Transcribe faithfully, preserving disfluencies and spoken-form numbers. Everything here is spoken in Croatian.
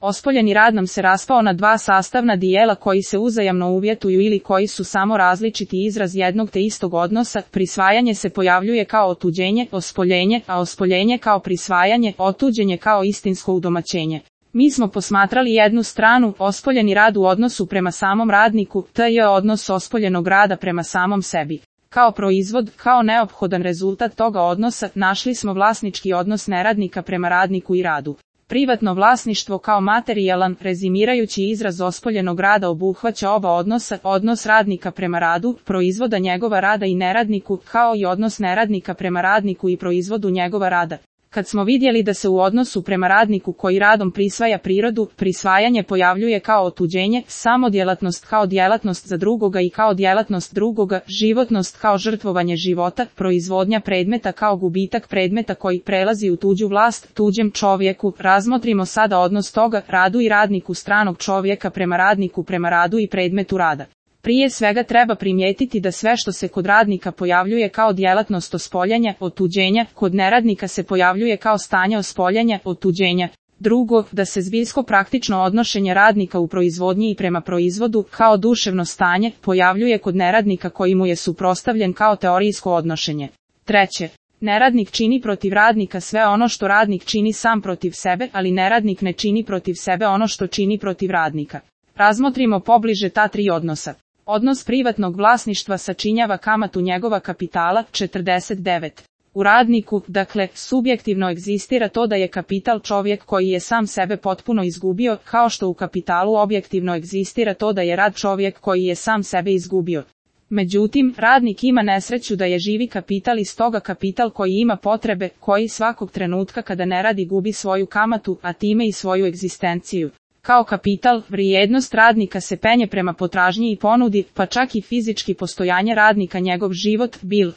Ospoljeni rad nam se raspao na dva sastavna dijela koji se uzajamno uvjetuju ili koji su samo različiti izraz jednog te istog odnosa. Prisvajanje se pojavljuje kao otuđenje, ospoljenje, a ospoljenje kao prisvajanje, otuđenje kao istinsko udomaćenje. Mi smo posmatrali jednu stranu, ospoljeni rad u odnosu prema samom radniku, to je odnos ospoljenog rada prema samom sebi. Kao proizvod, kao neophodan rezultat toga odnosa, našli smo vlasnički odnos neradnika prema radniku i radu. Privatno vlasništvo kao materijalan, rezimirajući izraz ospoljenog rada obuhvaća oba odnosa, odnos radnika prema radu, proizvoda njegova rada i neradniku, kao i odnos neradnika prema radniku i proizvodu njegova rada. Kad smo vidjeli da se u odnosu prema radniku koji radom prisvaja prirodu, prisvajanje pojavljuje kao otuđenje, samodjelatnost kao djelatnost za drugoga i kao djelatnost drugoga, životnost kao žrtvovanje života, proizvodnja predmeta kao gubitak predmeta koji prelazi u tuđu vlast, tuđem čovjeku, razmotrimo sada odnos toga, radu i radniku stranog čovjeka prema radniku prema radu i predmetu rada. Prije svega treba primijetiti da sve što se kod radnika pojavljuje kao djelatnost ospoljenja, otuđenja, kod neradnika se pojavljuje kao stanje ospoljenja, otuđenja. Drugo, da se zbiljsko praktično odnošenje radnika u proizvodnji i prema proizvodu, kao duševno stanje, pojavljuje kod neradnika koji mu je suprotstavljen kao teorijsko odnošenje. Treće, neradnik čini protiv radnika sve ono što radnik čini sam protiv sebe, ali neradnik ne čini protiv sebe ono što čini protiv radnika. Razmotrimo pobliže ta tri odnosa. Odnos privatnog vlasništva sačinjava kamatu njegova kapitala, četrdeset devet. U radniku, dakle, subjektivno egzistira to da je kapital čovjek koji je sam sebe potpuno izgubio, kao što u kapitalu objektivno egzistira to da je rad čovjek koji je sam sebe izgubio. Međutim, radnik ima nesreću da je živi kapital i stoga kapital koji ima potrebe, koji svakog trenutka kada ne radi gubi svoju kamatu, a time i svoju egzistenciju. Kao kapital, vrijednost radnika se penje prema potražnji i ponudi, pa čak i fizički postojanje radnika njegov život, bil,